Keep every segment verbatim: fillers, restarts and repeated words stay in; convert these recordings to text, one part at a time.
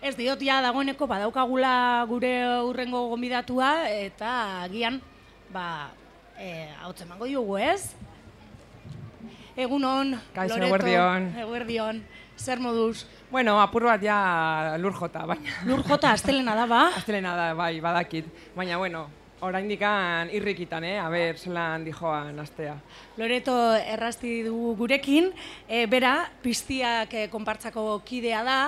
Ez diot ja dagoeneko badaukagula gure hurrengo gonbidatua eta agian ba ahotsa emango diogu, ez? Egunon, Kaixo, Loreto. eguerdion. Eguerdion. Zer moduz? Bueno, apur bat ja lur jota, baina. Lur jota astelena da, ba? Astelena da, bai, badakit. Baina, bueno, oraindikan irrikitan, eh? A ber, zelan dijoan astea. Loreto errasti dugu gurekin, e, bera, piztiak e, konpartzako kidea da,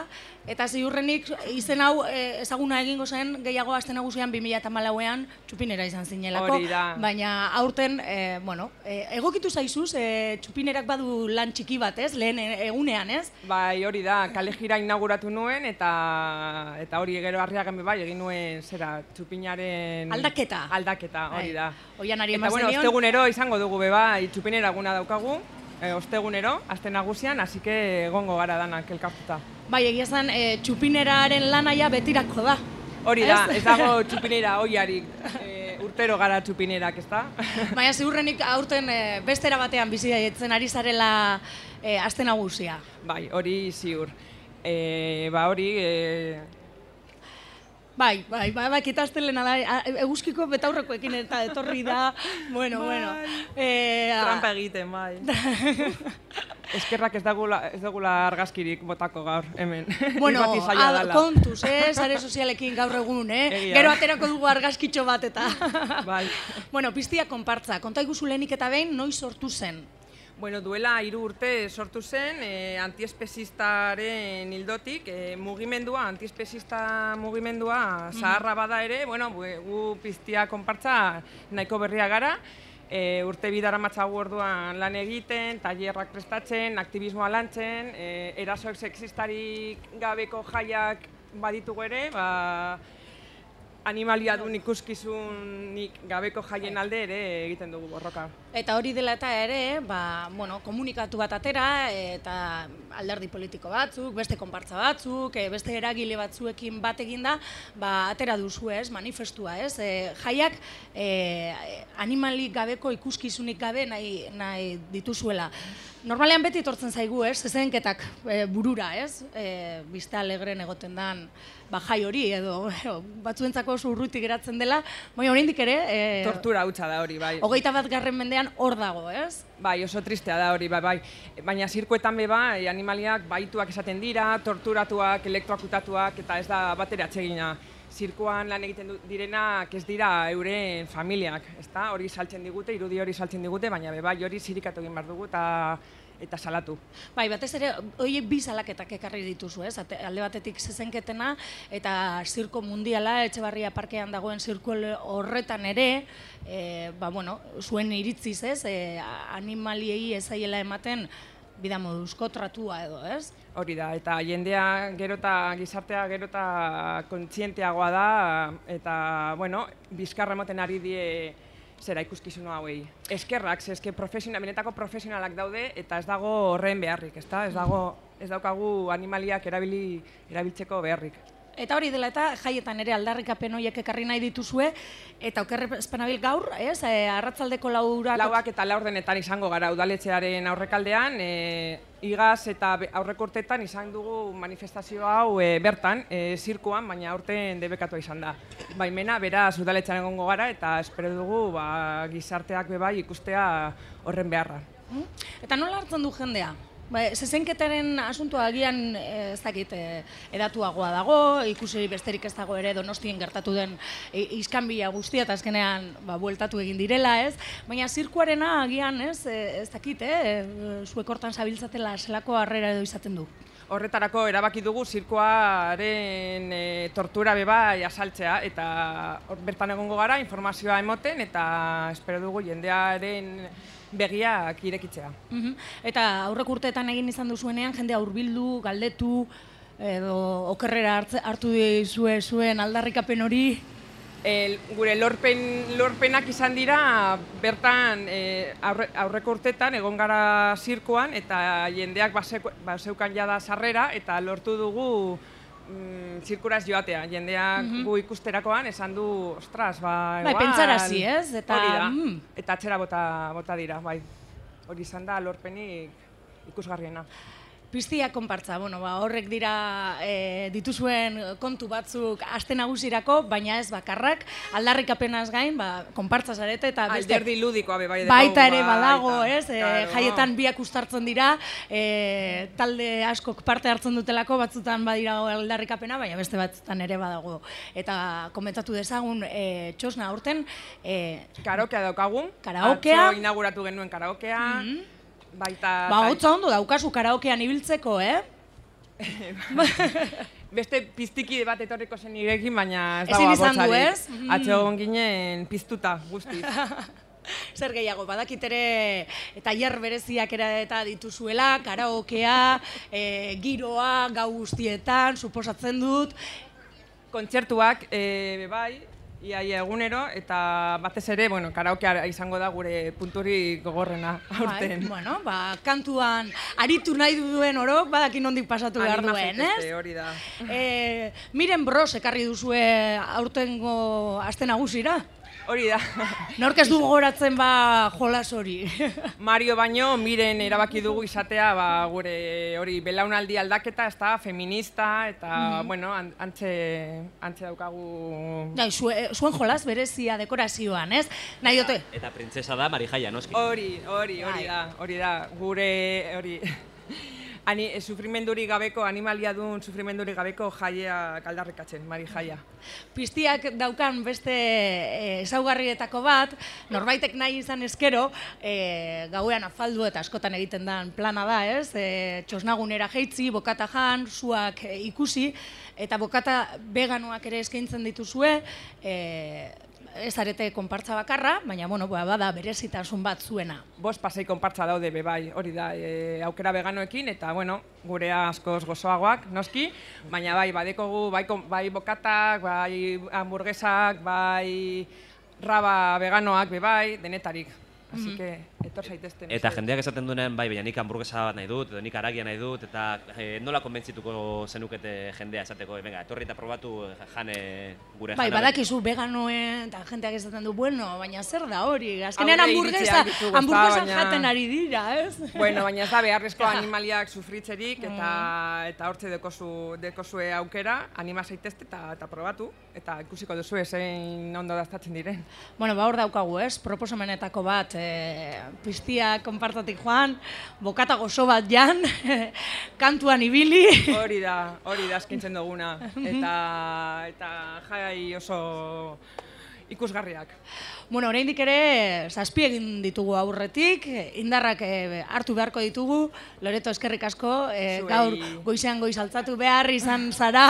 eta ziurrenik izen hau e, ezaguna egingo zen gehiago aste nagusian bi mila hamalauean txupinera izan zinelako. Hori da. Baina aurten, e, bueno, e, egokitu zaizuz, e, txupinerak badu lan txiki bat, ez? Lehen egunean, ez? Bai, hori da, kale jira inauguratu nuen, eta eta hori gero Arriagan bai, egin nuen zera txupinaren... Aldaketa. Aldaketa, hori da. Oianari eta bueno, ostegunero izango dugu beba, txupinera eguna daukagu, e, ostegunero, aste nagusian, hasi que egongo gara danak elkartuta. Bai, egia zen, e, txupineraren lanaia betirako da. Hori da, ez dago txupinera oiarik, e, urtero gara txupinerak, ez da? Baina ziurrenik aurten e, bestera batean bizi daitzen ari zarela e, aste nagusia. Bai, hori ziur. E, ba hori... E, Bai, bai, bai, bai, kita astelena da, eguzkiko betaurrekoekin eta etorri da, bueno, bueno. E, Trampa egiten, bai. Eskerrak ez dagula, ez dagula argazkirik botako gaur, hemen. Bueno, ad, kontuz, eh, sare sozialekin gaur egun, eh? Egia. Gero aterako dugu argazkitxo bat eta. Bai. Bueno, piztia konpartza, konta iguzu lehenik eta behin, noiz sortu zen? Bueno, duela hiru urte sortu zen, e, antiespezistaren hildotik, e, mugimendua, antiespezista mugimendua zaharra bada ere, bueno, gu piztia konpartza nahiko berria gara, e, urte bidara matzagu orduan lan egiten, tailerrak prestatzen, aktivismoa lantzen, e, erasoek sexistarik gabeko jaiak baditugu ere, ba, animaliadun ikuskizunik gabeko jaien alde ere egiten dugu borroka. Eta hori dela eta ere, ba, bueno, komunikatu bat atera, eta alderdi politiko batzuk, beste konpartza batzuk, beste eragile batzuekin bat eginda, ba, atera duzu ez, manifestua ez. E, jaiak e, animalik gabeko ikuskizunik gabe nahi, nahi dituzuela. Normalean beti etortzen zaigu ez, zezenketak e, burura ez, e, bizta alegren egoten dan ba, jai hori edo batzuentzako oso urruti geratzen dela, baina oraindik ere... E, tortura hutsa da hori, bai. Hogeita bat garren mendean hor dago, ez? Bai, oso tristea da hori, bai, bai. Baina zirkuetan be bai, animaliak baituak esaten dira, torturatuak, elektroakutatuak, eta ez da batera atsegina. Zirkuan lan egiten direnak ez dira euren familiak, ezta? Hori saltzen digute, irudi hori saltzen digute, baina be bai, hori zirikatu egin behar dugu eta eta salatu. Bai, batez ere, horiek bi salaketak ekarri dituzu, ez? Alde batetik zezenketena eta zirko mundiala, Etxebarria parkean dagoen zirko horretan ere, e, ba, bueno, zuen iritziz, ez? E, animaliei ezaiela ematen bida moduzko tratua edo, ez? Hori da, eta jendea gero eta gizartea gero eta kontzienteagoa da, eta, bueno, bizkarra ematen ari die zera ikuskizun hauei. Eskerrak, ze eske profesional, benetako profesionalak daude eta ez dago horren beharrik, ezta? Ez dago, ez daukagu animaliak erabili erabiltzeko beharrik. Eta hori dela eta jaietan ere aldarrikapen horiek ekarri nahi dituzue, eta okerre espanabil gaur, ez? E, arratzaldeko laurak... Lauak eta laurdenetan izango gara udaletxearen aurrekaldean, e, igaz eta aurreko urteetan izan dugu manifestazio hau e, bertan, e, zirkuan, baina aurten debekatua izan da. Baimena, beraz udaletxearen egongo gara, eta espero dugu ba, gizarteak bebai ikustea horren beharra. Eta nola hartzen du jendea? Ba, zezenketaren asuntua agian ez dakit edatuagoa dago, ikusi besterik ez dago ere Donostien gertatu den iskanbila guztia eta azkenean ba, bueltatu egin direla, ez? Baina zirkuarena agian ez, ez dakit, eh? Zuek hortan zabiltzatela zelako harrera edo izaten du. Horretarako erabaki dugu zirkuaren e, tortura beba asaltzea eta bertan egongo gara informazioa emoten eta espero dugu jendearen begiak irekitzea. Uh-huh. Eta aurrek urteetan egin izan duzuenean jendea hurbildu, galdetu edo okerrera hartu dizue zuen aldarrikapen hori? E, gure lorpen, lorpenak izan dira bertan e, aurre, aurreko urtetan egon gara zirkuan eta jendeak baseukan jada sarrera eta lortu dugu mm, zirkuraz joatea. Jendeak mm-hmm. gu ikusterakoan esan du, ostras, ba, bai, pentsarazi, ez? Eta, hori da, mm. eta atzera bota, bota dira, bai. Hori izan da lorpenik ikusgarriena. Piztia konpartza, bueno, ba, horrek dira e, dituzuen kontu batzuk aste nagusirako, baina ez bakarrak, aldarrikapenaz gain, ba, konpartza zarete eta beste... Alderdi ludikoa be bai. Baita ere badago, ez? E, claro. Jaietan biak uztartzen dira, e, talde askok parte hartzen dutelako, batzutan badira aldarrikapena, baina beste batzutan ere badago. Eta komentatu dezagun, e, txosna aurten... E, karaokea daukagun. Karaokea. Atzo inauguratu genuen karaokea. Mm-hmm. Baita... Ba, hotza ondo daukazu karaokean ibiltzeko, eh? Beste piztiki bat etorriko zen irekin, baina ez Ezin dago izan du, abotsarik. ez? Atzo egon ginen piztuta, guztiz. Zer gehiago, badakit ere eta tailer bereziak ere eta dituzuela, karaokea, e, giroa, gau guztietan, suposatzen dut. Kontzertuak, e, bai, iaia egunero, eta batez ere, bueno, karaokea izango da gure punturi gogorrena aurten. Bai, bueno, ba, kantuan aritu nahi duen orok, badakin nondik pasatu behar duen, ez? Hori da. E, Miren Bros ekarri duzue aurtengo aste nagusira? Hori da. Nork ez du gogoratzen ba jolas hori. Mario baino, Miren erabaki dugu izatea ba, gure hori belaunaldi aldaketa, ez da, feminista, eta, mm-hmm. bueno, antxe, antxe daukagu... Dai, zue, zuen jolas berezia dekorazioan, ez? Nahi dute? Eta printzesa da Marijaia, noski? Hori, hori, hori da, hori da, gure, hori... Ani, sufrimendurik gabeko, animalia duen sufrimendurik gabeko jaia aldarrikatzen, Marijaia. Piztiak daukan beste ezaugarrietako bat, norbaitek nahi izan eskero, e, gauean afaldu eta askotan egiten den plana da, ez? E, txosnagunera jeitzi, bokata jan, suak e, ikusi, eta bokata veganoak ere eskaintzen dituzue, e, ez arete konpartza bakarra, baina bueno, bada berezitasun bat zuena. Bost pasei konpartza daude be bai, hori da, e, aukera veganoekin, eta bueno, gurea askoz gozoagoak, noski, baina bai, badekogu, bai, bai bokatak, bai hamburguesak, bai raba veganoak be bai, denetarik. Así que, etor zaitezten. Eta jendeak esaten duenen, bai, baina nik hamburguesa bat nahi dut, edo nik haragia nahi dut, eta e, nola konbentzituko zenukete jendea esateko, venga, etorri eta probatu jane gure jana. Bai, badakizu veganoen, eta jendeak esaten du, bueno, baina zer da hori, azkenean hamburguesa, hamburguesa jaten ari dira, ez? Bueno, baina ez da beharrezko animaliak sufritzerik, eta eta hortze dekozu, dekozue aukera, anima zaitezte eta, eta probatu, eta ikusiko duzu zein ondo daztatzen diren. Bueno, ba hor daukagu, ez? Proposamenetako bat, e, piztia konpartatik joan, bokata gozo bat jan, kantuan ibili. Hori da, hori da eskintzen duguna, eta, eta jai oso ikusgarriak. Bueno, oraindik ere zazpi egin ditugu aurretik, indarrak e, hartu beharko ditugu, Loreto eskerrik asko, e, gaur goizean goiz altzatu behar izan zara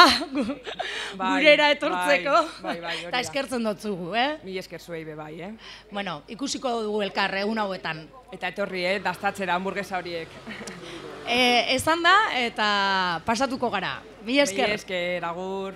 bai, gurera etortzeko, bai, bai, bai, eta eskertzen dotzugu, eh? Mi esker zuei be bai, eh? Bueno, ikusiko dugu elkar egun hauetan. Eta etorri, eh, daztatzera hamburguesa horiek. E, esan da, eta pasatuko gara. Mi esker. Mi esker, agur.